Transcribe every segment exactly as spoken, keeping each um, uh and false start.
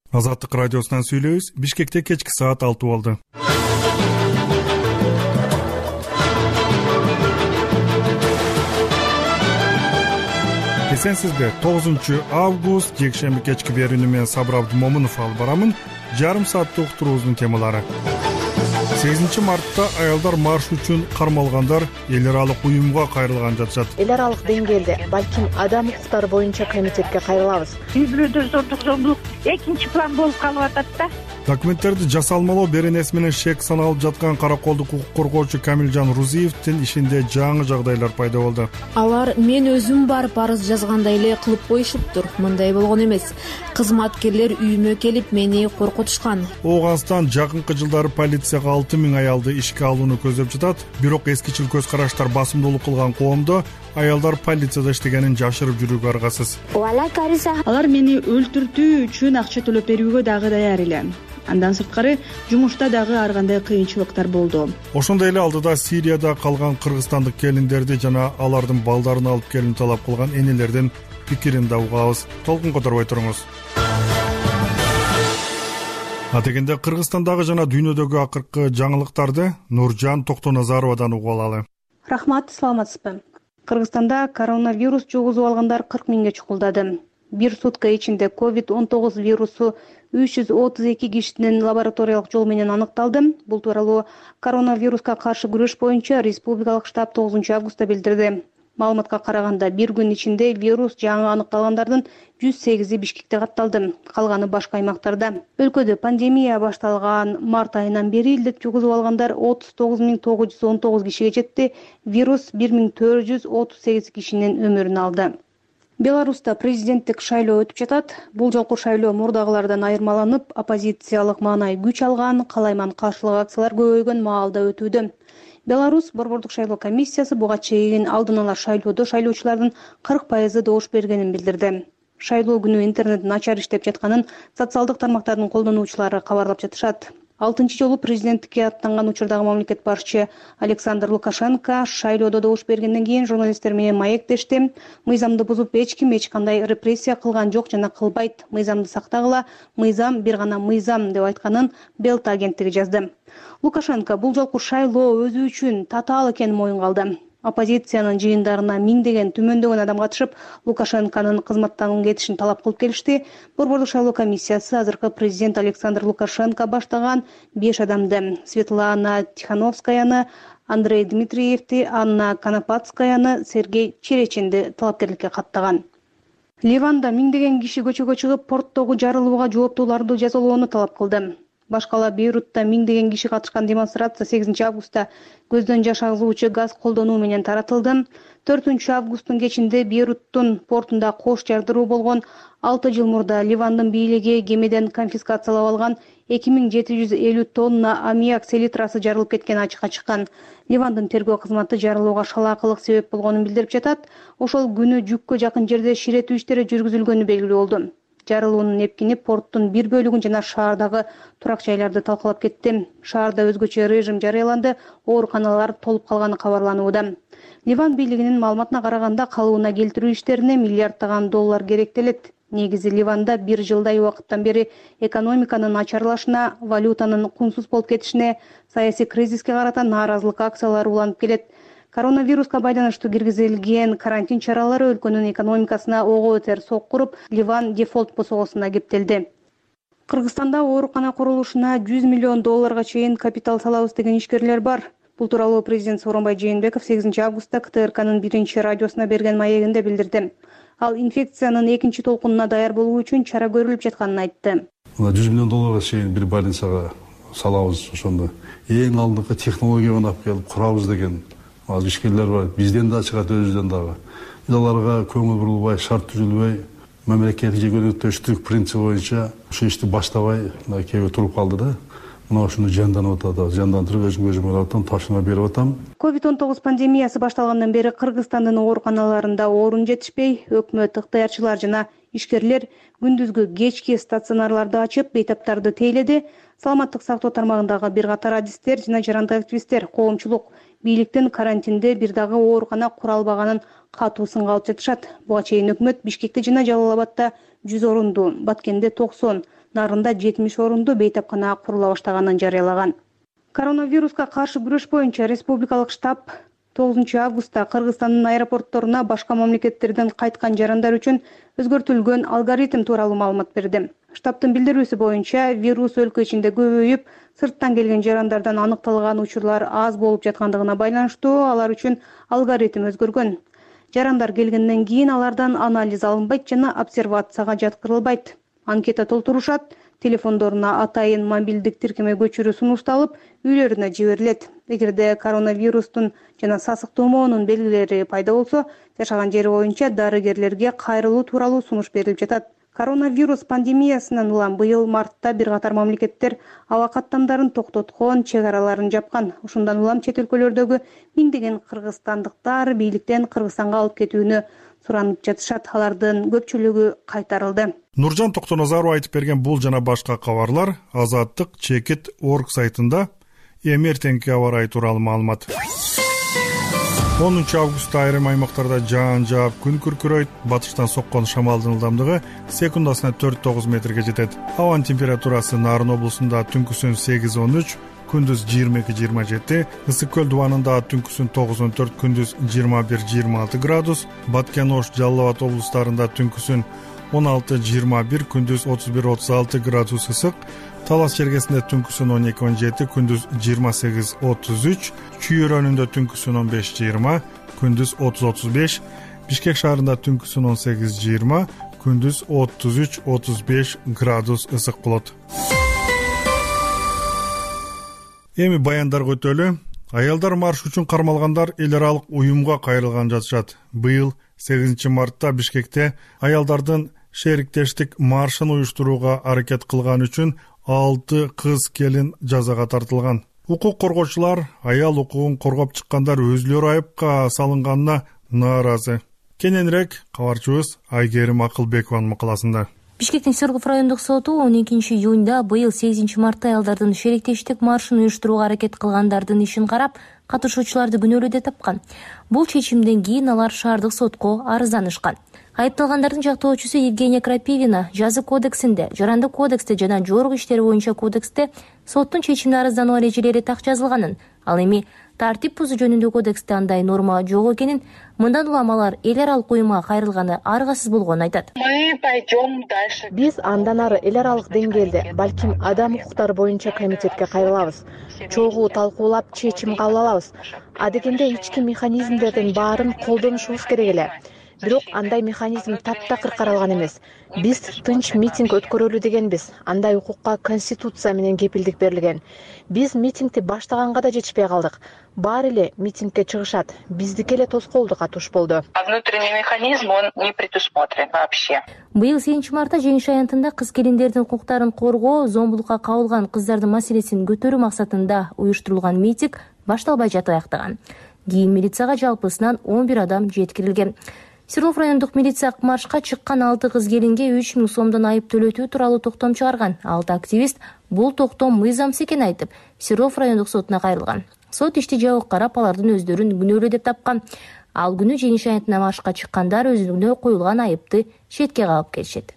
Азаттык радиосунан сүйлөйбүз. Бишкекте кечки саат алты болду. Эсенсизби? тогузунчу август жекшемби кечки берүүнү мен Сабыр Абдымомунов алып барамын. Жарым сааттык уктуруубуздун темалары. сегизинчи мартта аялдар марш үчүн кармалгандар эл аралык уюмга кайрылган жатышат. Эл аралык деңгээлде балким адам укуктары боюнча комитетке кайрылабыз. Үй бүлөдө зордук зомбулук экинчи план болуп калып атат да. Документтерди жасалмалоо беренеси менен шек саналып жаткан караколдук укук коргоочу Камилжан Рузиевдин ишинде жаңы жагдайлар пайда болду. Алар мен өзүм барып арыз жазгандай эле кылып коюшуптур. Мындай болгон эмес. Кызматкерлер үйүмө келип мени коркутушкан. Ооганстан жакынкы жылдары полицияга алты миң аялды ишке алууну көздөп жатат. Бирок эскичил көз караштар басымдуулук кылган коомдо аялдар полицияда иштегенин жашырып жүрүүгө аргасыз. Алар мени өлтүртүү үчүн акча төлөп берүүгө дагы даяр эле. Андан сырткары жумушта дагы ар кандай кыйынчылыктар болду. Ошондой эле алдыда Сирияда калган кыргызстандык келиндерди жана алардын балдарын алып келүүнү талап кылган энелердин пикирин да угабыз. Толкун которбой туруңуз. Атегенде Кыргызстандагы жана дүйнөдөгү акыркы жаңылыктарды Нуржан Токтоназаровадан угуп алалы. Рахмат, саламатсызбы? Кыргызстанда коронавирус жугузуп алгандар кырк миңге чукулдады. Бир сутка ичинде ковид он тогуз вирусу үч жүз отуз эки кишинин лабораториялык жол менен аныкталды. Бул тууралуу коронавируска каршы күрөш боюнча республикалык штаб тогузунчу августта билдирди. Маалыматка караганда бир күн ичинде вирус жаңы аныкталгандардын жүз сегизи Бишкекте катталды, калганы башка аймактарда. Өлкөдө пандемия башталган март айынан бери илдет жугузуп алгандар отуз тогуз миң тогуз жүз он тогуз кишиге жетти. Вирус бир миң төрт жүз отуз сегиз кишинин өмүрүн алды. Беларуста президенттик шайлоо өтүп жатат. Бул жолку шайлоо мурдагылардан айырмаланып, оппозициялык маанай күч алган, калайман каршылык акциялар көбөйгөн маалда өтүүдө. Беларусь борбордук шайлоо комиссиясы буга чейин алдын ала шайлоодо шайлоочулардын кырк пайызы добуш бергенин билдирди. Шайлоо күнү интернет начар иштеп жатканын социалдык тармактардын колдонуучулары кабарлап жатышат. Алтынчы жолу президенттикке аттанган учурдагы мамлекет башчы Александр Лукашенко шайлоодо добуш бергенден кийин журналисттер менен маектешти. Мыйзамды бузуп эч ким эч кандай репрессия кылган жок жана кылбайт. Мыйзамды сактагыла, мыйзам бир гана мыйзам деп айтканын Белта агенттиги жазды. Лукашенко бул жолку шайлоо өзү үчүн татаал экенин моюнга алды. Оппозициянын жыйындарына миңдеген түмөндөгөн адам катышып, Лукашенконун кызматтан кетишин талап кылып келишти. Борбордук шайлоо комиссиясы азыркы президент Александр Лукашенко баштаган беш адамды — Светлана Тихановскаяны, Андрей Дмитриевди, Анна Конопатскаяны, Сергей Черечинди талапкерликке каттаган. Ливанда миңдеген киши көчөгө чыгып, порттогу жарылууга жооптууларды жазалоону талап кылды. Башкала Бейрутта миңдеген киши катышкан демонстрация сегизинчи августта көздөн жаш агызуучу газ колдонуу менен таратылды. төртүнчү августтун кечинде Бейруттун портунда кош жардыруу болгон. алты жыл мурда Ливандын бийлиги кемеден конфискациялап алган эки миң жети жүз элүү тонна аммиак селитрасы жарылып кеткени ачыкка чыккан. Ливандын тергөө кызматы жарылууга шалаакылык себеп болгонун билдирип жатат. Ошол күнү жүккө жакын жерде ширетүү иштери жүргүзүлгөнү белгилүү болду. Жарылуунун эпкини порттун бир бөлүгүн жана шаардагы турак жайларды талкалап кетти. Шаарда өзгөчө режим жарыяланды, ооруканалар толуп калганы кабарланууда. Ливан бийлигинин маалыматына караганда, калыбына келтирүү иштерине миллиарддаган доллар керектелет. Негизи Ливанда бир жылдай убакыттан бери экономиканын начарлашына, валютанын кунсуз болуп кетишине, саясий кризиске карата нааразылык акциялары уланып келет. Коронавируска байланыштуу киргизилген карантин чаралары өлкөнүн экономикасына ого өтөр соккуруп, Ливан дефолт босогосуна кептелди. Кыргызстанда оорукана курулушуна жүз миллион долларга чейин капитал салабыз деген ишкерлер бар. Бул тууралуу президент Сооронбай Жээнбеков сегизинчи августта К Т Р К'нын биринчи радиосуна берген маегинде билдирди. Ал инфекциянын экинчи толкунуна даяр болуу үчүн чара көрүлүп жатканын айтты. жүз миллион долларга чейин бир больницага салабыз, ошондо эң алдыңкы технологияны алып келип курабыз деген аз ишкерлер бар. Бизден да чыгат, өзүбүздөн дагы. Биз аларга көңүл бурулбай, шарт түзүлбөй, мамлекеттик жегөнүктөштүк принциби боюнча ошо ишти баштабай кээбир туруп калды да. Мына ушуну жанданып атат, жандандырып өзүм өзүм алатам, тапшырма берип атам. ковид он тогуз пандемиясы башталгандан бери Кыргызстандын ооруканаларында орун жетишпей, өкмөт, ыктыярчылар жана ишкерлер күндүзгү кечки стационарларды ачып, бейтаптарды тейледи. Саламаттык сактоо тармагындагы бир катар адистер жана жарандык активисттер, коомчулук бийликтин карантинде бир дагы оорукана кура албаганын катуу сынга алып жатышат. Буга чейин өкмөт Бишкекте жана Жалал Абадда жүз орунду, Баткенде токсон, Нарында жетимиш орундуу бейтапкана курула баштаганын жарыялаган. Коронавируска каршы күрөш боюнча республикалык штаб тогузунчу августта Кыргызстандын аэропортторуна башка мамлекеттерден кайткан жарандар үчүн өзгөртүлгөн алгоритм тууралуу маалымат берди. Штабтын билдирүүсү боюнча вирус өлкө ичинде көбөйүп, сырттан келген жарандардан аныкталган учурлар аз болуп жаткандыгына байланыштуу алар үчүн алгоритм өзгөргөн. Жарандар келгенден кийин алардан анализ алынбайт жана обсервацияга жаткырылбайт. Анкета толтурушат, телефондоруна атайын мобилдик тиркеме көчүрүү сунушталып, үйлөрүнө жиберилет. Эгерде коронавирустун жана сасык тумоонун белгилери пайда болсо, жашаган жери боюнча дарыгерлерге кайрылуу тууралуу сунуш берилип жатат. Коронавирус пандемиясынан улам быйыл мартта бир катар мамлекеттер аба каттамдарын токтоткон, чек араларын жапкан. Ушундан улам чет өлкөлөрдөгү миңдеген кыргызстандыктар бийликтен Кыргызстанга алып кетүүнү суранып жатышат. Алардын көпчүлүгү кайтарылды. Нуржан Токтоназаров айтып берген бул жана башка кабарлар Азаттык чекит точка орг сайтында эми эртеңки аба ырайы тууралуу маалымат. онунчу августта айрым аймактарда жаан жаап, күн күркүрөйт. Батыштан соккон шамалдын ылдамдыгы секундасына төрт тогуз метрге жетет. Абанын температурасы Нарын облусунда түнкүсүн сегиз он үч, күндүз жыйырма эки жыйырма жети, Ысык көл дубанында түнкүсүн тогуз он төрт, күндүз жыйырма бир жыйырма алты градус, Баткен Ош Жалал Абад облустарында түнкүсүн он алты жыйырма бир, күндүз отуз бир отуз алты градус ысык, Талас чергесинде түнкүсүн он эки он жети, күндүз жыйырма сегиз отуз үч, Чүй өрөөнүндө түнкүсүн он беш жыйырма, күндүз отуз отуз беш, Бишкек шаарында түнкүсүн он сегиз жыйырма, күндүз отуз үч отуз беш градус ысык болот. Эми баяндарга өтөлү. Аялдар марш үчүн кармалгандар эл аралык уюмга кайрылган жатышат. Быйыл сегизинчи мартта Бишкекте аялдардын шериктештик маршын уюштурууга аракет кылган үчүн алты кыз келин жазага тартылган. Укук коргоочулар аял укугун коргоп чыккандар өзүлөрү айыпка салынганына нааразы. Кененирээк кабарчыбыз Айгерим Акылбекованын макаласында. Бишкектин Свердлов райондук соту он экинчи июнда быйыл сегизинчи мартта аялдардын шериктештик маршын уюштурууга аракет кылгандардын ишин карап, катышуучуларды күнөөлүү деп тапкан. Бул чечимден кийин алар шаардык сотко арызданышкан. Айыпталгандардын жактоочусу Евгения Крапивина жаза кодексинде, жарандык кодексте жана жогорку иштер боюнча кодексте соттун чечимине арыздануу эрежелери так жазылганын, ал эми тартип бузуу жөнүндө кодексте андай норма жок экенин, мындан улам алар эл аралык уюмга кайрылганы аргасыз болгонун айтат. Биз андан ары эл аралык деңгээлде, балким адам укуктары боюнча комитетке кайрылабыз. Чогуу талкуулап чечим кабыл алабыз. Адегенде ички механизмдердин баарын колдонушубуз керек эле. Бирок андай механизм таптакыр каралган эмес. Биз тынч митинг өткөрөлү дегенбиз. Андай укукка конституция менен кепилдик берилген. Биз митингди баштаганга да жетишпей калдык. Баары эле митингге чыгышат. Биздики эле тоскоолдук атыш болду. А внутренний механизм он не предусмотрен вообще. Быйыл сегизинчи мартта жеңиш аянтында кыз келиндердин укуктарын коргоо, зомбулукка кабылган кыздардын маселесин көтөрүү максатында уюштурулган митинг башталбай жатып аяктаган. Кийин милицияга жалпысынан он бир адам жеткирилген. Свердлов райондук милиция маршка чыккан алты кыз келинге үч миң сомдон айып төлөтүү тууралуу токтом чыгарган. Алты активист бул токтом мыйзамсыз экенин айтып, Свердлов райондук сотуна кайрылган. Сот ишти жабык карап, алардын өздөрүн күнөөлүү деп тапкан. Ал күнү жеңиш аянтына маршка чыккандар өзүнө коюлган айыпты четке кагып келишет.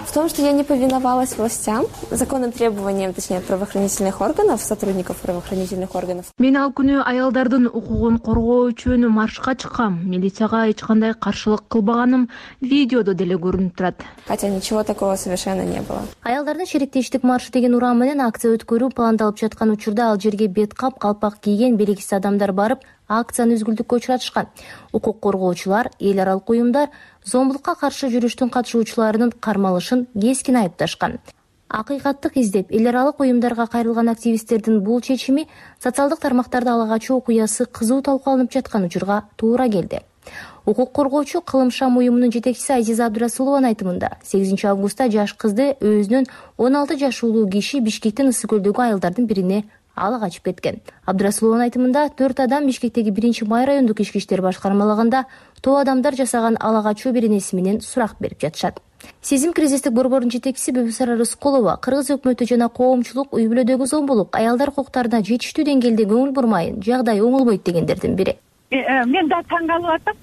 В том, что я не повиновалась властям, законным требованиям, точнее, правоохранительных органов, сотрудников правоохранительных органов. Мен ал күнү аялдардын укугун коргоо үчүн маршка чыккам. Милицияга эч кандай каршылык кылбаганым видеодо деле көрүнүп турат. Хотя ничего такого совершенно не было. Аялдардын шериктештик маршы деген урам менен акция өткөрүү пландалып жаткан учурда ал жерге бет кап, калпак кийген белгисиз адамдар барып, акцияны үзгүлтүккө учуратышкан. Укук коргоочулар, эл аралык уюмдар зомбулукка каршы жүрүштүн катышуучуларынын кармалышын кескин айыпташкан. Акыйкаттык издеп эл аралык уюмдарга кайрылган активисттердин бул чечими социалдык тармактарда ала качуу окуясы кызуу талкууланып жаткан учурга туура келди. Укук коргоочу Кылым Шам уюмунун жетекчиси Азиза Абдырасулованын айтымында, сегизинчи августта жаш кызды өзүнүн он алты жашылуу киши Бишкектин Ысык көлдөгү айылдардын бирине ала качып кеткен. Абдырасулованын айтымында төрт адам Бишкектеги биринчи май райондук ички иштер башкармалыгында топ адамдар жасаган ала качуу беренеси менен сурак берип жатышат. Сезим кризистик борбордун жетекчиси Бибисара Рыскулова Кыргыз өкмөтү жана коомчулук үй бүлөдөгү зомбулук, аялдар укуктарына жетиштүү деңгээлде көңүл бурмайын, жагдай оңолбойт дегендердин бири. Мен да таң калып атам.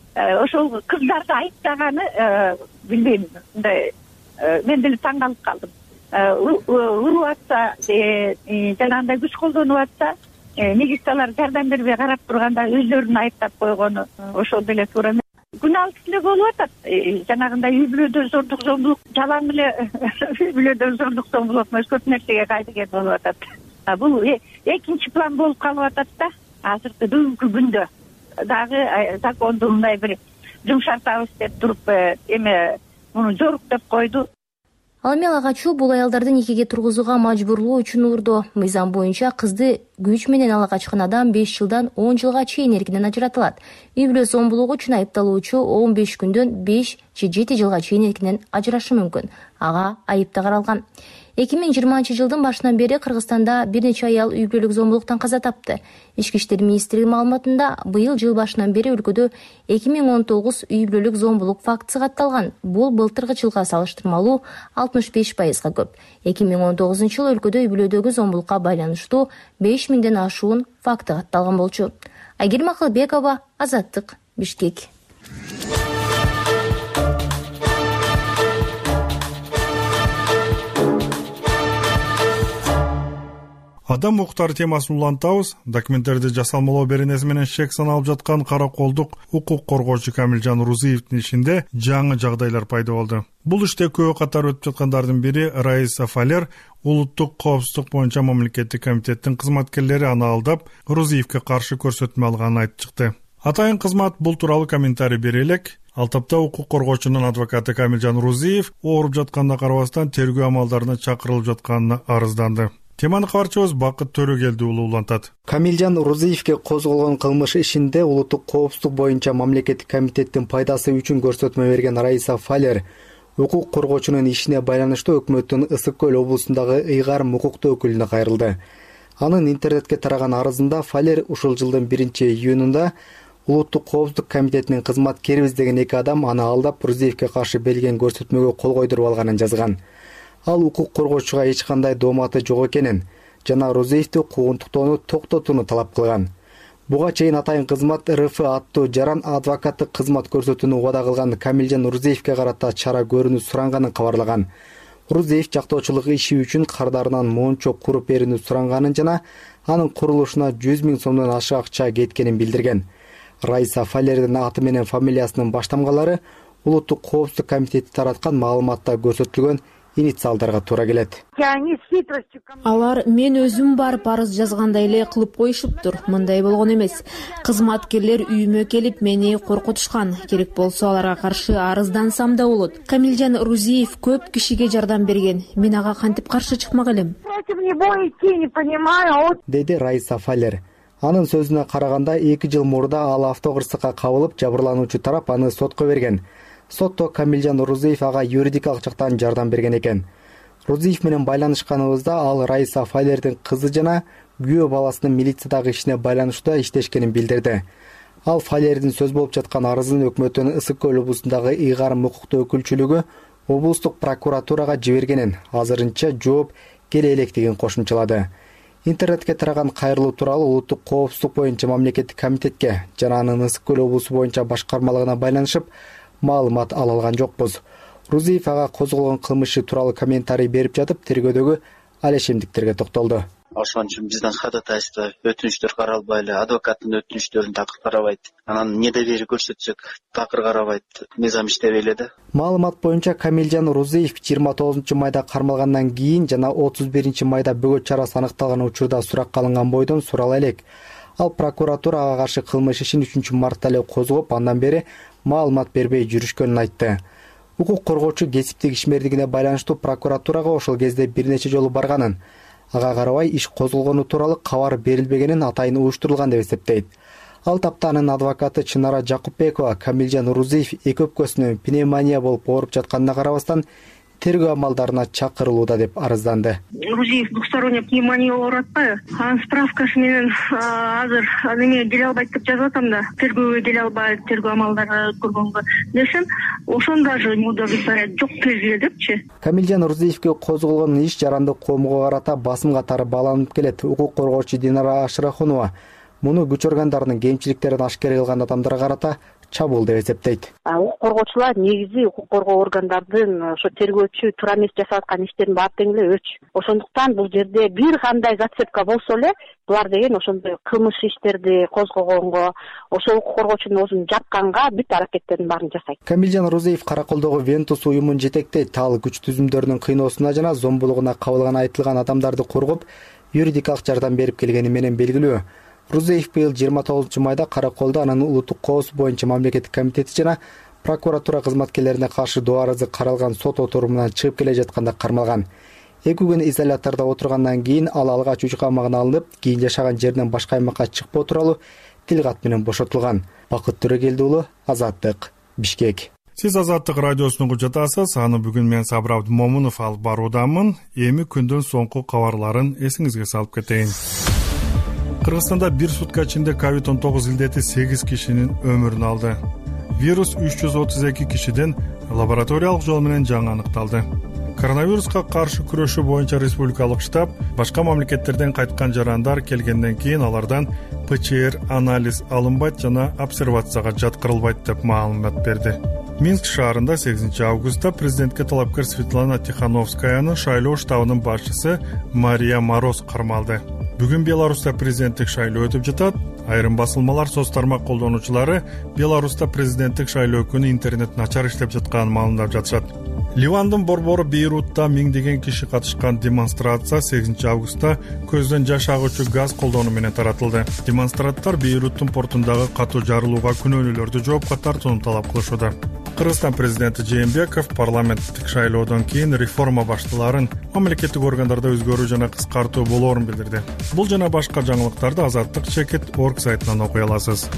Ошол кыздарды айыптаганы билбейм. Мындай мен деле таң калып калдым. уруп атса, жанагындай күч колдонуп атса, милициялар жардам бербей карап турганда өздөрүн айыптап койгону ошол деле туура эмес. Күналык эле болуп атат. Жанагындай үй бүлөдө зордук зомбулук, жалаң эле үй бүлөдө зордук зомбулук эмес, көп нерсеге кайдыген болуп атат. Бул экинчи план болуп калып атат да. Азыркы бүгүнкү күндө дагы законду мындай бир жумшартабыз деп туруп эме муну жорук деп койду. Ал эми ага качуу бул аялдарды никеге тургузууга мажбурлоо үчүн урду. Мыйзам боюнча кызды күч менен ала качкан адам беш жылдан он жылга чейин эркинен ажыратылат. Үй бүлө зомбулугу үчүн айыпталуучу он беш күндөн беш же жети жылга чейин эркинен ажырашы мүмкүн. Ага айып да каралган. эки миң жыйырманчы жылдын башынан бери Кыргызстанда бир нече аял үй бүлөлүк зомбулуктан каза тапты. Ички иштер министрлиги маалыматында быйыл жыл башынан бери өлкөдө эки миң он тогуз үй бүлөлүк зомбулук фактысы катталган. Бул былтыркы жылга салыштырмалуу алтымыш беш пайызга көп. эки миң он тогузунчу жылы өлкөдө үй бүлөдөгү зомбулукка байланыштуу беш миңден ашуун факты катталган болчу. Айгерим Акылбекова, Азаттык, Бишкек. Адам укуктары темасын улантабыз. Документтерди жасалмалоо беренеси менен шек саналып жаткан караколдук укук коргоочу Камилжан Рузиевдин ишинде жаңы жагдайлар пайда болду. Бул иште көбү катары өтүп жаткандардын бири Раиса Фалер, улуттук коопсуздук боюнча мамлекеттик комитеттин кызматкерлери аны алдап, Рузиевге каршы көрсөтмө алганын айтып чыкты. Атайын кызмат бул тууралуу комментарий бере элек. Ал тапта укук коргоочунун адвокаты Камилжан Рузиев ооруп жатканына карабастан тергөө амалдарына чакырылып жатканына арызданды. Теманы кабарчыбыз Бакыт Төрөгелди уулу улантат. Камилжан Рузиевге козголгон кылмыш ишинде улуттук коопсуздук боюнча мамлекеттик комитеттин пайдасы үчүн көрсөтмө берген Раиса Фалер укук коргоочунун ишине байланыштуу өкмөттүн Ысык көл облусундагы ыйгарым укуктуу өкүлүнө кайрылды. Анын интернетке тараган арызында Фалер ушул жылдын биринчи июнунда улуттук коопсуздук комитетинин кызматкерибиз деген эки адам аны алдап Рузиевге каршы берилген көрсөтмөгө кол койдуруп алганын жазган. Ал укук коргоочуга эч кандай дооматы жок экенин жана Рузиевди куугунтуктоону токтотууну талап кылган. Буга чейин атайын кызмат эр эф аттуу жаран адвокаттык кызмат көрсөтүүнү убада кылган Камилжан Рузиевге карата чара көрүүнү суранганын кабарлаган. Рузиев жактоочулук иши үчүн кардарынан мончок куруп берүүнү суранганын жана анын курулушуна жүз миң сомдон ашык акча кеткенин билдирген. Раиса Фалердин аты менен фамилиясынын баштамгалары улуттук коопсуздук комитети тараткан маалыматта көрсөтүлгөн инициалдарга туура келет. Алар мен өзүм барып арыз жазгандай эле кылып коюшуптур. Мындай болгон эмес. Кызматкерлер үйүмө келип мени коркутушкан. Керек болсо аларга каршы арыздансам да болот. Камилжан Рузиев көп кишиге жардам берген. Мен ага кантип каршы чыкмак элем? Деди Раиса Фалер. Анын сөзүнө караганда эки жыл мурда ал автокырсыкка кабылып, жабырлануучу тарап аны сотко берген. Сотто Камилжан Рузиев ага юридикалык жактан жардам берген экен. Рузиев менен байланышканыбызда ал Раиса Фалердин кызы жана күйөө баласынын милициядагы ишине байланыштуу иштешкенин билдирди. Ал Фалердин сөз болуп жаткан арызын өкмөттүн Ысык көл облусундагы ыйгарым укуктуу өкүлчүлүгү облустук прокуратурага жибергенин, азырынча жооп келе электигин кошумчалады. Интернетке тараган кайрылуу тууралуу улуттук коопсуздук боюнча мамлекеттик комитетке жана анын Ысык көл облусу боюнча башкармалыгына байланышып маалымат ала алган жокпуз. Рузиев ага козголгон кылмышы тууралуу комментарий берип жатып, тергөөдөгү алешемдиктерге токтолду. Ошон үчүн биздин ходатайство өтүнүчтөр каралбай эле, адвокаттын өтүнүчтөрүн такыр карабайт. Анан недоверие көрсөтсөк, такыр карабайт. Мыйзам иштебей эле да. Маалымат боюнча Камилжан Рузиев жыйырма тогузунчу майда кармалгандан кийин жана отуз биринчи майда бөгөт чарасы аныкталган учурда суракка алынган бойдон сурала элек. Ал прокуратура ага каршы кылмыш ишин үчүнчү мартта эле козгоп, андан бери маалымат бербей жүрүшкөнүн айтты. Укук коргоочу кесиптик ишмердигине байланыштуу прокуратурага ошол кезде бир нече жолу барганын, ага карабай иш козголгону тууралуу кабар берилбегенин атайын уюштурулган деп эсептейт. Ал тапта анын адвокаты Чынара Жакупбекова Камилжан Рузиев эки өпкөсүнөн пневмония болуп ооруп жатканына карабастан тергөө амалдарына чакырылууда деп арызданды. Рузиев двухсторонняя пневмония ооруп атпайбы? Анын справкасы менен азыр неме келе албайт деп жазып атам да. Тергөөгө келе албайт, тергөө амалдары өткөргөнгө десем, ошон даже не удовлетворяет, жок тез эле депчи. Камилжан Рузиевге козголгон иш жарандык коомго карата басым катары бааланып келет. Укук коргоочу Динара Ашрахунова муну күч органдарынын кемчиликтерин ашкер кылган адамдарга карата чабуул деп эсептейт. Укук коргоочулар негизи укук коргоо органдардын ошо тергөөчү туура эмес жасап аткан иштерин баары тең эле өч. Ошондуктан бул жерде бир кандай зацепка болсо эле булар деген ошондой кылмыш иштерди козгогонго, ошол укук коргоочунун өзүн жапканга бүт аракеттердин баарын жасайт. Камилжан Рузеев Караколдогу Вентус уюмун жетектейт. Ал күч түзүмдөрүнүн кыйноосуна жана зомбулугуна кабылган айтылган адамдарды коргоп, юридикалык жардам берип келгени менен белгилүү. Рузеев быйыл жыйырма тогузунчу майда Караколдо анын улуттук коопсуздук боюнча мамлекеттик комитети жана прокуратура кызматкерлерине каршы доо арызы каралган сот отурумунан чыгып келе жатканда кармалган. Эки күн изолятордо отургандан кийин ал алгач үй камагына алынып, кийин жашаган жеринен башка аймакка чыкпоо тууралуу тил кат менен бошотулган. Бакыт Төрөгелди уулу, Азаттык, Бишкек. Сиз Азаттык радиосуну кучатасыз. Аны бүгүн мен Сабыр Абдымомунов алып баруудамын. Эми күндүн соңку кабарларын эсиңизге салып кетейин. Кыргызстанда бир сутка ичинде ковид он тогуз илдети сегиз кишинин өмүрүн алды. Вирус үч жүз отуз эки кишиден лабораториялык жол менен жаңы аныкталды. Коронавируска каршы күрөшүү боюнча республикалык штаб башка мамлекеттерден кайткан жарандар келгенден кийин алардан ПЧР анализ алынбайт жана обсервацияга жаткырылбайт деп маалымат берди. Минск шаарында сегизинчи августта президентке талапкер Светлана Тихановскаяны шайлоо штабынын башчысы Мария Мороз кармалды. Бүгүн Беларуста президенттик шайлоо өтүп жатат. Айрым басылмалар соц тармак колдонуучулары Беларуста президенттик шайлоо күнү интернет начар иштеп жатканын маалымдап жатышат. Ливандын борбору Бейрутта миңдеген киши катышкан демонстрация сегизинчи августта көздөн жаш агуучу газ колдонуу менен таратылды. Демонстранттар Бейруттун портундагы катуу жарылууга күнөөлүүлөрдү жоопко тартууну талап кылышууда. Кыргызстан президенти Жээнбеков парламенттик шайлоодон кийин реформа башталарын, мамлекеттик органдарда өзгөрүү жана кыскартуу болоорун билдирди. Бул жана башка жаңылыктарды Азаттык чекит точка орг сайтынан окуй аласыз.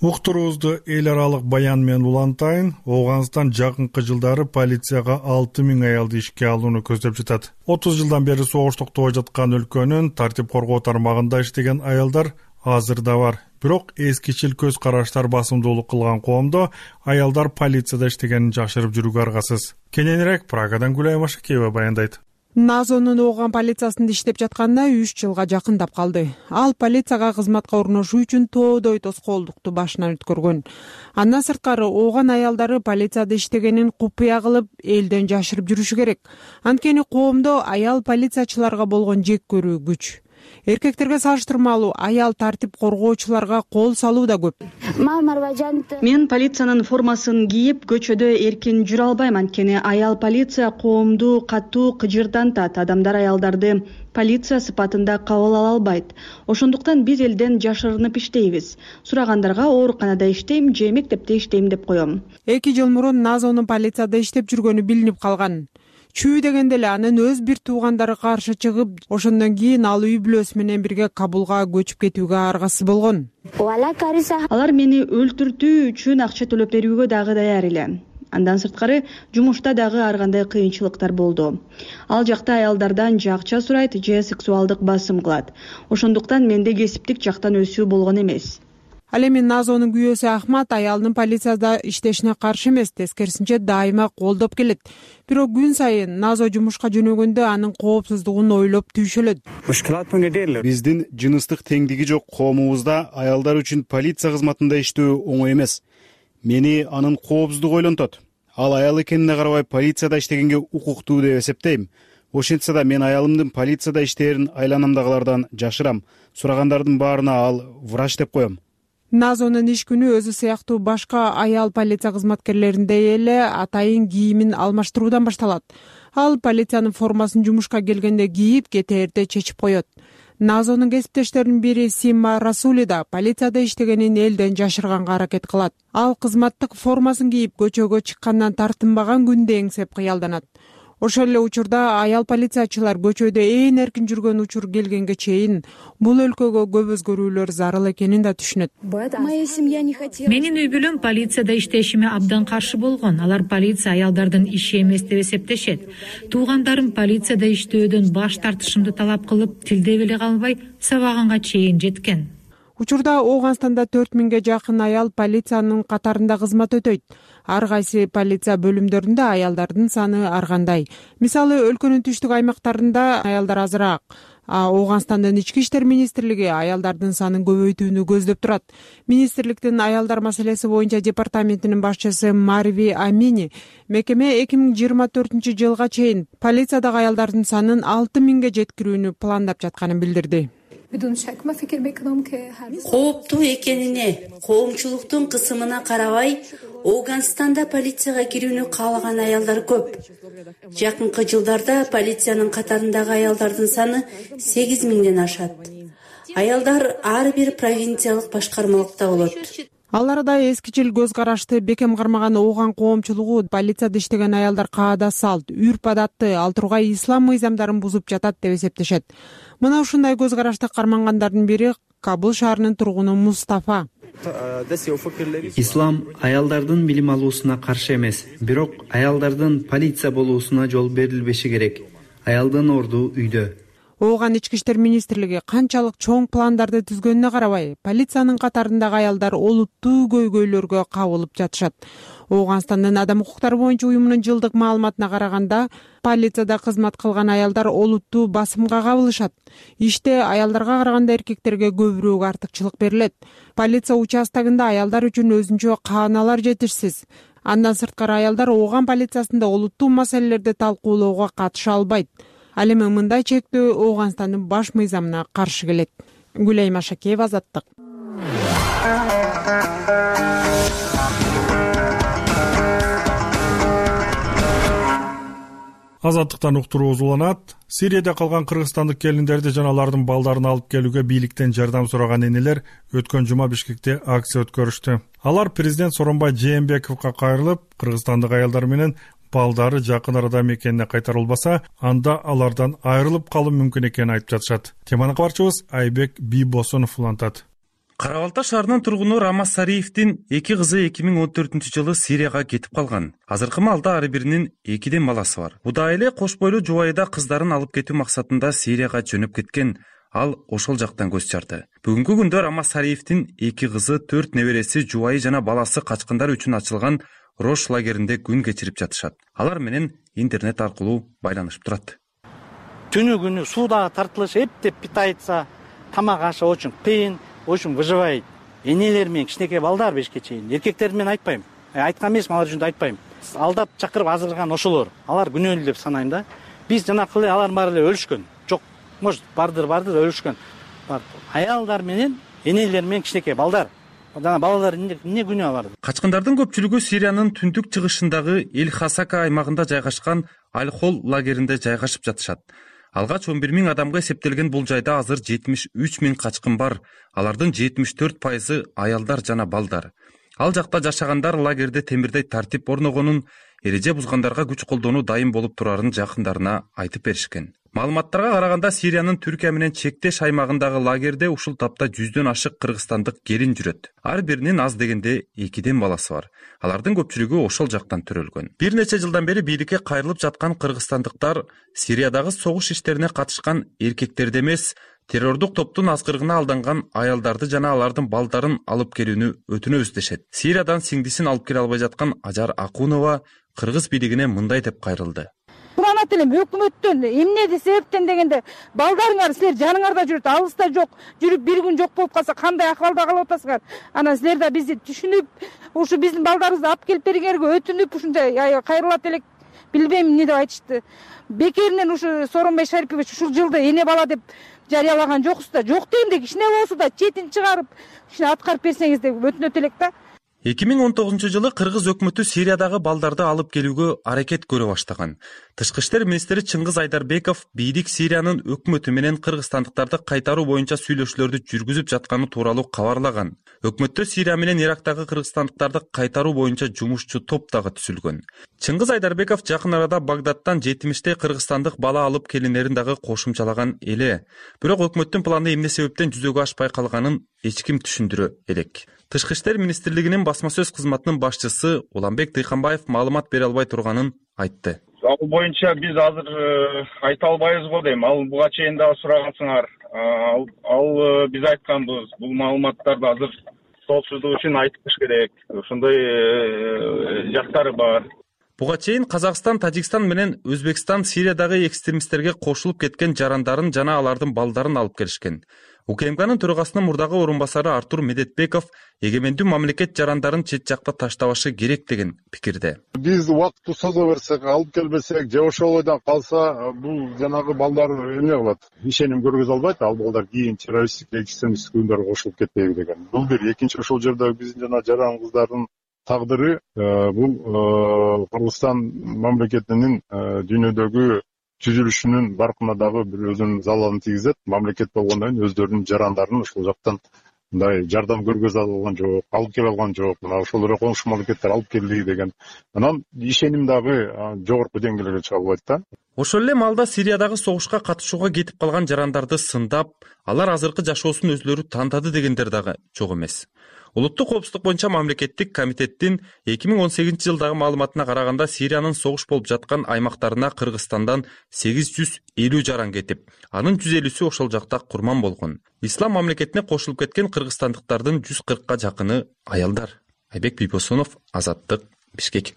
Уктуруубузду эл аралык баян менен улантайын. Ооганстан жакынкы жылдары полицияга алты миң аялды ишке алууну көздөп жатат. отуз жылдан бери согуш токтобой жаткан өлкөнүн тартип коргоо тармагында иштеген аялдар азырда бар. Бирок эскичил көз караштар басымдуулук кылган коомдо аялдар полицияда иштегенин жашырып жүрүүгө аргасыз. Кененирээк Прагадан Гүлай Машакеева баяндайт. Назонун Ооган полициясында иштеп жатканына үч жылга жакындап калды. Ал полицияга кызматка орношуу үчүн тоодой тоскоолдукту башынан өткөргөн. Андан сырткары Ооган аялдары полицияда иштегенин купуя кылып, элден жашырып жүрүшү керек. Анткени коомдо аял полициячыларга болгон жек көрүү күч. Эркектерге салыштырмалуу аял тартип коргоочуларга кол салуу да көп. Мен полициянын формасын кийип көчөдө эркин жүрө албайм, анткени аял полиция коомду катуу кыжырдантат. Адамдар аялдарды полиция сыпатында кабыл ала албайт. Ошондуктан биз элден жашырынып иштейбиз. Сурагандарга ооруканада иштейм же мектепте иштейм деп коем. Эки жыл мурун Назонун полицияда иштеп жүргөнү билинип калган. Чүү дегенде эле анын өз бир туугандары каршы чыгып, ошондон кийин ал үй бүлөсү менен бирге Кабулга көчүп кетүүгө аргасыз болгон. Алар мени өлтүртүү үчүн акча төлөп берүүгө дагы даяр эле. Андан сырткары жумушта дагы ар кандай кыйынчылыктар болду. Ал жакта аялдардан же акча сурайт, же сексуалдык басым кылат. Ошондуктан менде кесиптик жактан өсүү болгон эмес. Ал эми Назонун күйөөсү Ахмат аялдын полицияда иштешине каршы эмес, тескерисинче дайыма колдоп келет. Бирок күн сайын Назо жумушка жөнөгөндө анын коопсуздугун ойлоп түйшөлөт. Биздин жыныстык теңдиги жок коомубузда аялдар үчүн полиция кызматында иштөө оңой эмес. Мени анын коопсуздугу ойлонтот. Ал аял экенине карабай полицияда иштегенге укуктуу деп эсептейм. Ошентсе да мен аялымдын полицияда иштээрин айланамдагылардан жашырам. Сурагандардын баарына ал врач деп коем. Назонун иш күнү өзү сыяктуу башка аял полиция кызматкерлериндей эле атайын кийимин алмаштыруудан башталат. Ал полициянын формасын жумушка келгенде кийип, кете эрте чечип коет. Назонун кесиптештеринин бири Симма Расули да полицияда иштегенин элден жашырганга аракет кылат. Ал кызматтык формасын кийип көчөгө чыккандан тартынбаган күндү эңсеп кыялданат. Ошол эле учурда аял полициячылар көчөдө ээн эркин жүргөн учур келгенге чейин бул өлкөгө көп өзгөрүүлөр зарыл экенин да түшүнөт. Менин үй бүлөм полицияда иштешиме абдан каршы болгон. Алар полиция аялдардын иши эмес деп эсептешет. Туугандарым полицияда иштөөдөн баш тартышымды талап кылып, тилдеп эле калбай сабаганга чейин жеткен. Учурда Ооганстанда төрт миңге жакын аял полициянын катарында кызмат өтөйт. Ар кайсы полиция бөлүмдөрүндө аялдардын саны ар кандай. Мисалы, өлкөнүн түштүк аймактарында аялдар азыраак. Ооганстандын ички иштер министрлиги аялдардын санын көбөйтүүнү көздөп турат. Министрликтин аялдар маселеси боюнча департаментинин башчысы Марви Амини мекеме эки миң жыйырма төртүнчү жылга чейин полициядагы аялдардын санын алты миңге жеткирүүнү пландап жатканын билдирди. Кооптуу экенине, коомчулуктун кысымына карабай, Ооганстанда полицияга кирүүнү каалаган аялдар көп. Жакынкы жылдарда полициянын катарындагы аялдардын саны сегиз миңден ашат. Аялдар ар бир провинциялык башкармалыкта болот. Ал арада эскичил көз карашты бекем кармаган Ооган коомчулугу полицияда иштеген аялдар каада салт, үрп адатты, ал тургай ислам мыйзамдарын бузуп жатат деп эсептешет. Мына ушундай көз карашты кармангандардын бири Кабыл шаарынын тургуну Мустафа. Ислам аялдардын билим алуусуна каршы эмес, бирок аялдардын полиция болуусуна жол берилбеши керек. Аялдын орду үйдө. Ооган ички иштер министрлиги канчалык чоң пландарды түзгөнүнө карабай, полициянын катарындагы аялдар олуттуу көйгөйлөргө кабылып жатышат. Ооганстандын адам укуктары боюнча уюмунун жылдык маалыматына караганда, полицияда кызмат кылган аялдар олуттуу басымга кабылышат. Иште аялдарга караганда эркектерге көбүрөөк артыкчылык берилет. Полиция участогунда аялдар үчүн өзүнчө кааналар жетишсиз. Андан сырткары аялдар Ооган полициясында олуттуу маселелерди талкуулоого катыша албайт. Ал эми мындай чектөө Ооганстандын баш мыйзамына каршы келет. Гүлайым Ашакеева, Азаттык. Азаттыктан уктуруу узуланат. Сирияда калган кыргызстандык келиндерди жана алардын балдарын алып келүүгө бийликтен жардам сураган энелер өткөн жума Бишкекте акция өткөрүштү. Алар президент Сооронбай Жээнбековго кайрылып, кыргызстандык аялдар менен балдары жакын арада мекенине кайтарылбаса, анда алардан айрылып калуу мүмкүн экенин айтып жатышат. Теманы кабарчыбыз Айбек Бийбосунов улантат. Кара Балта шаарынын тургуну Рамаз Сариевдин эки кызы эки миң он төртүнчү жылы Сирияга кетип калган. Азыркы маалда ар биринин экиден баласы бар. Буда эле кош бойлуу жубайда кыздарын алып кетүү максатында Сирияга жөнөп кеткен. Ал ошол жактан көз чарды. Бүгүнкү күндө Рамаз Сариевдин эки кызы, төрт небереси, жубайы жана баласы качкындар үчүн ачылган Рош лагеринде күн кечирип жатышат. Алар менен интернет аркылуу байланышып турат. Түнү күнү суудагы тартылыш эптеп питается, тамак ашы очень кыйын, очень выживает. Энелер менен кичинекей балдар бешке чейин. Эркектер менен айтпайм. Айткан эмесмин, алар үчүн айтпайм. Алдап чакырып азырган ошолор. Алар күнөөлүү деп санайм да. Биз жанакы эле алар баары эле өлүшкөн. Жок, может, бардыр, бардыр өлүшкөн. Аялдар менен, энелер менен кичинекей балдар. Жана балалар эмне күнөө алар? Качкындардын көпчүлүгү Сириянын түндүк чыгышындагы Эль-Хасака аймагында жайгашкан Аль-Хол лагеринде жайгашып жатышат. Алгач он бир миң адамга эсептелген бул жайда азыр жетимиш үч миң качкын бар. Алардын жетимиш төрт пайызы аялдар жана балдар. Ал жакта жашагандар лагерде темирдей тартип орногонун, эреже бузгандарга күч колдонуу дайым болуп турарын жакындарына айтып беришкен. Маалыматтарга караганда Сириянын Түркия менен чектеш аймагындагы лагерде ушул тапта жүздөн ашык кыргызстандык келин жүрөт. Ар биринин аз дегенде экиден баласы бар. Алардын көпчүлүгү ошол жактан төрөлгөн. Бир нече жылдан бери бийликке кайрылып жаткан кыргызстандыктар Сириядагы согуш иштерине катышкан эркектерди эмес, террордук топтун азгырыгына алданган аялдарды жана алардын балдарын алып келүүнү өтүнөбүз дешет. Сириядан сиңдисин алып келе албай жаткан Ажар Акунова кыргыз бийлигине мындай деп кайрылды. Суранат элем өкмөттөн эмне себептен дегенде, балдарыңар силер жаныңарда жүрөт, алыста жок, жүрүп бир күн жок болуп калса кандай акыбалда калып атасыңар? Анан силер да бизди түшүнүп, ушу биздин балдарыбызды алып келип бергенге өтүнүп, ушундай кайрылат элек, билбейм эмне деп айтышты. Бекеринен ушу Сооронбай Шарипович ушул жылды эне бала деп жарыялаган жоксуз да, жок дегенде кичине болсо да четин чыгарып, кичине аткарып берсеңиз деп өтүнөт элек да. эки миң он тогузунчу жылы кыргыз өкмөтү Сириядагы балдарды алып келүүгө аракет көрө баштаган. Тышкы иштер министри Чыңгыз Айдарбеков бийлик Сириянын өкмөтү менен кыргызстандыктарды кайтаруу боюнча сүйлөшүүлөрдү жүргүзүп жатканы тууралуу кабарлаган. Өкмөттө Сирия менен Ирактагы кыргызстандыктарды кайтаруу боюнча жумушчу топ дагы түзүлгөн. Чыңгыз Айдарбеков жакын арада Багдадтан жетимиштей кыргызстандык бала алып келиндерин дагы кошумчалаган эле. Бирок өкмөттүн планы эмне себептен жүзөгө ашпай калганын эч ким түшүндүрө элек. Тышкы иштер министрлигинин басма сөз кызматынын башчысы Уланбек Тыйканбаев маалымат бере албай турганын айтты. Ал боюнча биз азыр айта албайбыз дейм. Ал буга чейин дагы сурагансыңар. Ал, ал биз айтканбыз. Бул маалыматтарды азыр коопсуздук үчүн айтыш керек. Ошондой жактары бар. Буга чейин Казакстан, Тажикстан менен Өзбекстан Сириядагы экстремисттерге кошулуп кеткен жарандарын жана алардын балдарын алып келишкен. УКМКнын төрагасынын мурдагы орун басары Артур Медетбеков эгемендүү мамлекет жарандарын чет жакта таштабашы керек деген пикирде. Биз убакытты созо берсек, алып келбесек, же ошол ойдон калса, бул жанагы балдар эмне кылат? Ишеним көргөзө албайт, ал балдар кийин террористтик, экстремисттик уюмдарга кошулуп кетпейби деген. Бул бир. Экинчи, ошол жерде биздин жана жаран кыздардын тагдыры бул Кыргызстан мамлекетинин дүйнөдөгү түзүлүшүнүн баркына дагы бир өзүнүн залалын тийгизет. Мамлекет болгондон кийин өздөрүнүн жарандарын ошол жактан мындай жардам көргөзө алган жок, алып келе алган жок. Мына ошол эле коңшу мамлекеттер алып келди деген. Анан ишеним дагы жогорку деңгээлге чыга албайт да. Ошол эле маалда Сириядагы согушка катышууга кетип калган жарандарды сындап, алар азыркы жашоосун өзлөрү тандады дегендер дагы жок эмес. Улуттук коопсуздук боюнча мамлекеттик комитеттин эки миң он сегизинчи жылдагы маалыматына караганда Сириянын согуш болуп жаткан аймактарына Кыргызстандан сегиз жүз элүү жаран кетип, анын жүз элүүсү ошол жакта курман болгон. Ислам мамлекетине кошулуп кеткен кыргызстандыктардын жүз кыркка жакыны аялдар. Айбек Бийбосунов, Азаттык, Бишкек.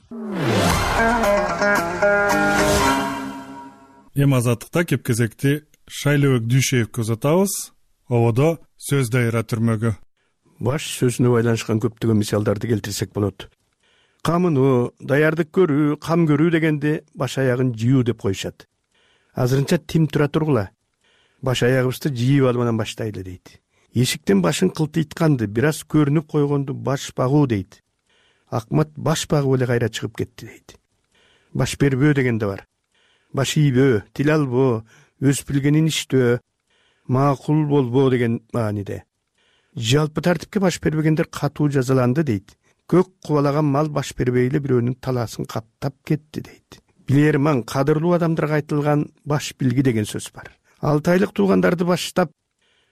Эми Азаттыкта кеп-кезекти Шайлообек Дүйшеевге узатабыз. Ободо сөз дайыра түрмөгү. Баш сөзүнө байланышкан көптөгөн мисалдарды келтирсек болот. Камынуу, даярдык көрүү, кам көрүү дегенде баш аягын жыйуу деп коюшат. Азырынча тим тура тургула. Баш аягыбызды жыйып алып анан баштайлы дейт. Эшиктен башын кылтыйтканды, бир аз көрүнүп койгонду баш багуу дейт. Акмат баш багып эле кайра чыгып кетти дейт. Баш бербөө деген да бар. Баш ийбөө, тил албоо, өз билгенин иштөө, макул болбоо деген мааниде. Жалпы тартипке баш бербегендер катуу жазаланды дейт. Көк кубалаган мал баш бербей эле бирөөнүн талаасын каптап кетти дейт. Билер маң кадырлуу адамдарга айтылган баш билги деген сөз бар. Алты айлык туугандарды баштап,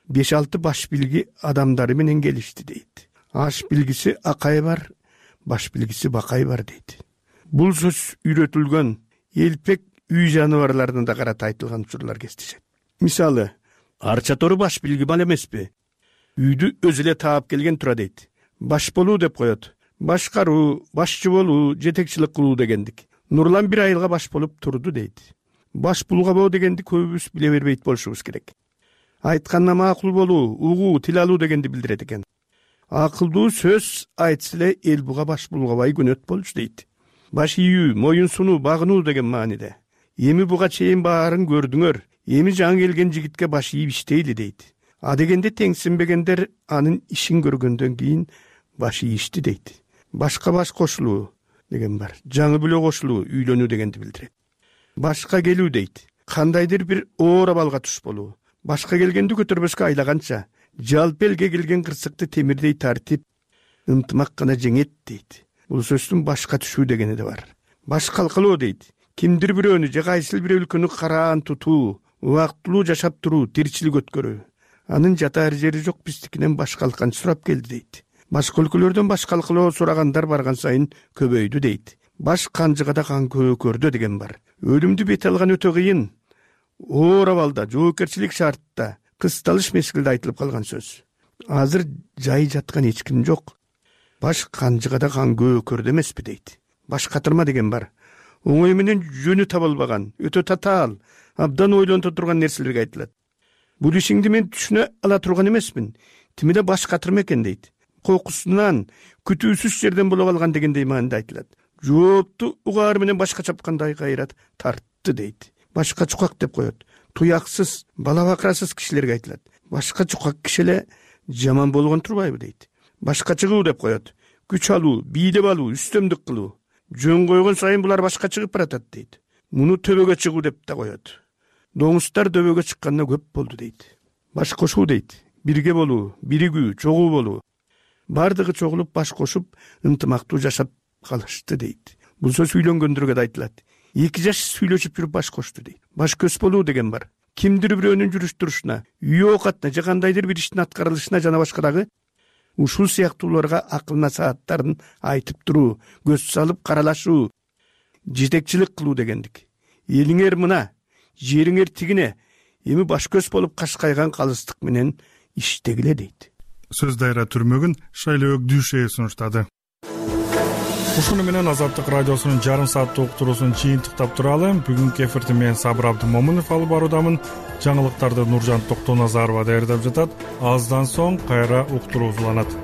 беш алты баш билги адамдары менен келишти дейт. Аш билгиси акай бар, баш билгиси бакай бар дейт. Бул сөз үйрөтүлгөн элпек үй жаныбарларына да карата айтылган учурлар кездешет. Мисалы, арча тору баш билги мал эмеспи? Үйдү өзү эле таап келген тура дейт. Баш болуу деп коет. Башкаруу, башчы болуу, жетекчилик кылуу дегендик. Нурлан бир айылга баш болуп турду дейт. Баш булгабоо дегенди көбүбүз биле бербейт болушубуз керек. Айтканда макул болуу, угуу, тил алуу дегенди билдирет экен. Акылдуу сөз айтса эле эл буга баш булгабай көнөт болчу дейт. Баш ийүү, моюн сунуу, багынуу деген мааниде. Эми буга чейин баарын көрдүңөр. Эми жаңы келген жигитке баш ийип иштейли дейт. А дегенде теңсинбегендер анын ишин көргөндөн кийин баш ийишти дейт. Башка баш кошулуу деген бар. Жаңы бүлө кошулуу, үйлөнүү дегенди билдирет. Башка келүү дейт. Кандайдыр бир оор абалга туш болуу. Башка келгенди көтөрбөскө айлаганча, жалпы элге келген кырсыкты темирдей тартип, ынтымак гана жеңет дейт. Бул сөздүн башка түшүү дегени да бар. Баш калкалоо дейт. Кимдир бирөөнү же кайсыл бир өлкөнү караан тутуу, убактылуу жашап туруу, тиричилик өткөрүү. Анын жатаар жери жок, биздикинен баш калкан сурап келди дейт. Башка өлкөлөрдөн баш калкалоо сурагандар барган сайын көбөйдү дейт. Баш канжыгада кан көкөрдө деген бар. Өлүмдү бет алган өтө кыйын, оор абалда, жоопкерчилик шартта, кысталыш мезгилде айтылып калган сөз. Азыр жай жаткан эч ким жок. Баш канжыгада кан көкөрдө эмеспи дейт. Баш катырма деген бар. Оңой менен жөнү табылбаган, өтө татаал, абдан ойлонто турган нерселерге айтылат. Бул ишиңди мен түшүнө ала турган эмесмин. Тимиде баш катырма экен дейт. Кокусунан күтүүсүз жерден боло калган дегендей маанida айтылат. Жоопту угаар менен башка чапкандай кайрат тартты дейт. Башка чукак деп коет. Туяксыз, балабакырасыз кишилерге айтылат. Башка чукак киши эле жаман болгон турбайбы дейт. Башка чыгуу деп коет. Күч алуу, бийлеп алуу, үстөмдүк кылуу. Жөн койгон сайын булар башка чыгып баратат дейт. Муну төбөгө чыгуу деп да коет. Доңуздар дөбөгө чыкканда көп болду дейт. Баш кошуу дейт. Бирге болуу, биригүү, чогуу болуу. Бардыгы чогулуп баш кошуп, ынтымактуу жашап калышты дейт. Бул сөз үйлөнгөндөргө да айтылат. Эки жаш сүйлөшүп жүрүп баш кошту дейт. Баш көз болуу деген бар. Кимдир бирөөнүн жүрүш турушуна, үй оокатына же кандайдыр бир иштин аткарылышына жана башка дагы ушул сыяктууларга акыл насааттарын айтып туруу, көз салып каралашуу, жетекчилик кылуу дегендик. Элиңер мына, жериңер тигине, эми баш көз болуп кашкайган калыстык менен иштегиле дейт. Сөз дайра түрмөгүн Шайлообек Дүйшеев сунуштады. ушуну менен Азаттык радиосунун жарым сааттык уктуруусун жыйынтыктап туралы. Бүгүнкү эфирди мен Сабыр Абдымомунов алып баруудамын. Жаңылыктарды Нуржан Токтоназарова даярдап жатат. Аздан соң кайра уктуруу уланат.